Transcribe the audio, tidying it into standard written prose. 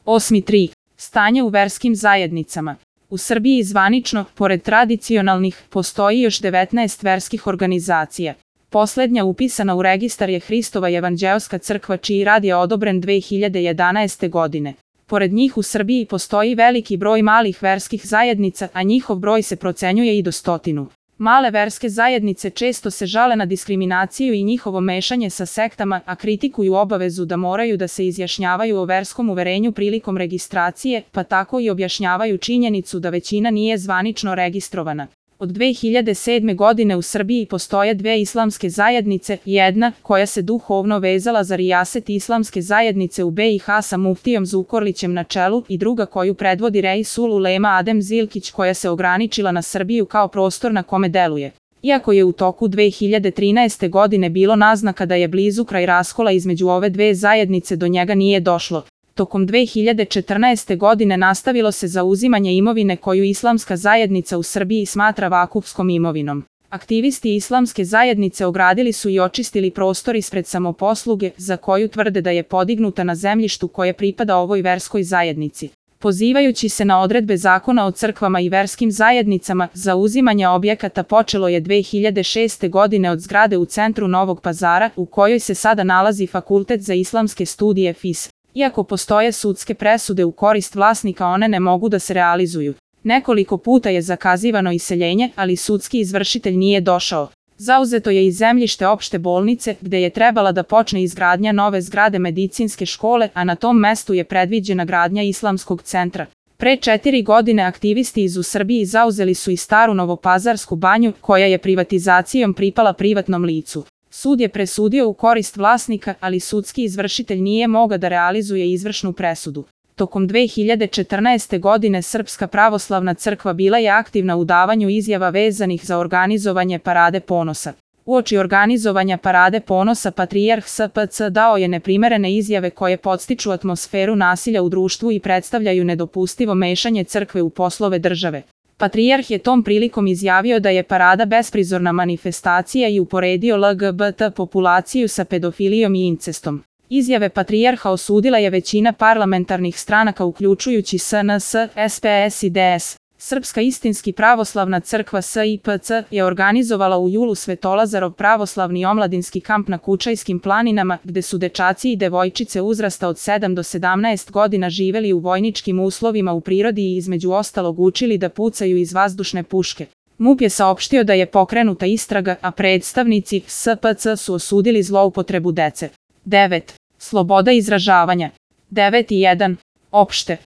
8.3. Stanje u verskim zajednicama. U Srbiji zvanično, pored tradicionalnih, postoji još 19 verskih organizacija. Poslednja upisana u registar je Hristova evanđeoska crkva čiji rad je odobren 2011. godine. Pored njih u Srbiji postoji veliki broj malih verskih zajednica, a njihov broj se procenjuje i do 100. Male verske zajednice često se žale na diskriminaciju i njihovo mešanje sa sektama, a kritikuju obavezu da moraju da se izjašnjavaju o verskom uverenju prilikom registracije, pa tako i objašnjavaju činjenicu da većina nije zvanično registrovana. Od 2007. godine u Srbiji postoje dve islamske zajednice, jedna koja se duhovno vezala za rijaset islamske zajednice u BiH sa muftijom Zukorlićem na čelu i druga koju predvodi Reisul Ulema Adem Zilkić koja se ograničila na Srbiju kao prostor na kome deluje. Iako je u toku 2013. godine bilo naznaka da je blizu kraj raskola između ove dve zajednice, do njega nije došlo. Tokom 2014. godine nastavilo se zauzimanje imovine koju islamska zajednica u Srbiji smatra vakufskom imovinom. Aktivisti islamske zajednice ogradili su i očistili prostor ispred samoposluge, za koju tvrde da je podignuta na zemljištu koje pripada ovoj verskoj zajednici. Pozivajući se na odredbe Zakona o crkvama i verskim zajednicama, zauzimanje objekata počelo je 2006. godine od zgrade u centru Novog Pazara, u kojoj se sada nalazi Fakultet za islamske studije FIS. Iako postoje sudske presude u korist vlasnika, one ne mogu da se realizuju. Nekoliko puta je zakazivano iseljenje, ali sudski izvršitelj nije došao. Zauzeto je i zemljište opšte bolnice, gde je trebala da počne izgradnja nove zgrade medicinske škole, a na tom mestu je predviđena gradnja islamskog centra. Pre 4 godine aktivisti iz Srbiji zauzeli su i staru Novopazarsku banju, koja je privatizacijom pripala privatnom licu. Sud je presudio u korist vlasnika, ali sudski izvršitelj nije mogao da realizuje izvršnu presudu. Tokom 2014. godine Srpska pravoslavna crkva bila je aktivna u davanju izjava vezanih za organizovanje Parade ponosa. Uoči organizovanja Parade ponosa patrijarh SPC dao je neprimerene izjave koje podstiču atmosferu nasilja u društvu i predstavljaju nedopustivo mešanje crkve u poslove države. Patrijarh je tom prilikom izjavio da je parada besprizorna manifestacija i uporedio LGBT populaciju sa pedofilijom i incestom. Izjave patrijarha osudila je većina parlamentarnih stranaka uključujući SNS, SPS i DS. Srpska istinski pravoslavna crkva SIPC je organizovala u julu Svetolazarov pravoslavni omladinski kamp na Kučajskim planinama, gde su dečaci i devojčice uzrasta od 7 do 17 godina živeli u vojničkim uslovima u prirodi i između ostalog učili da pucaju iz vazdušne puške. MUP je saopštio da je pokrenuta istraga, a predstavnici SPC su osudili zloupotrebu dece. 9. Sloboda izražavanja. 9.1. Opšte.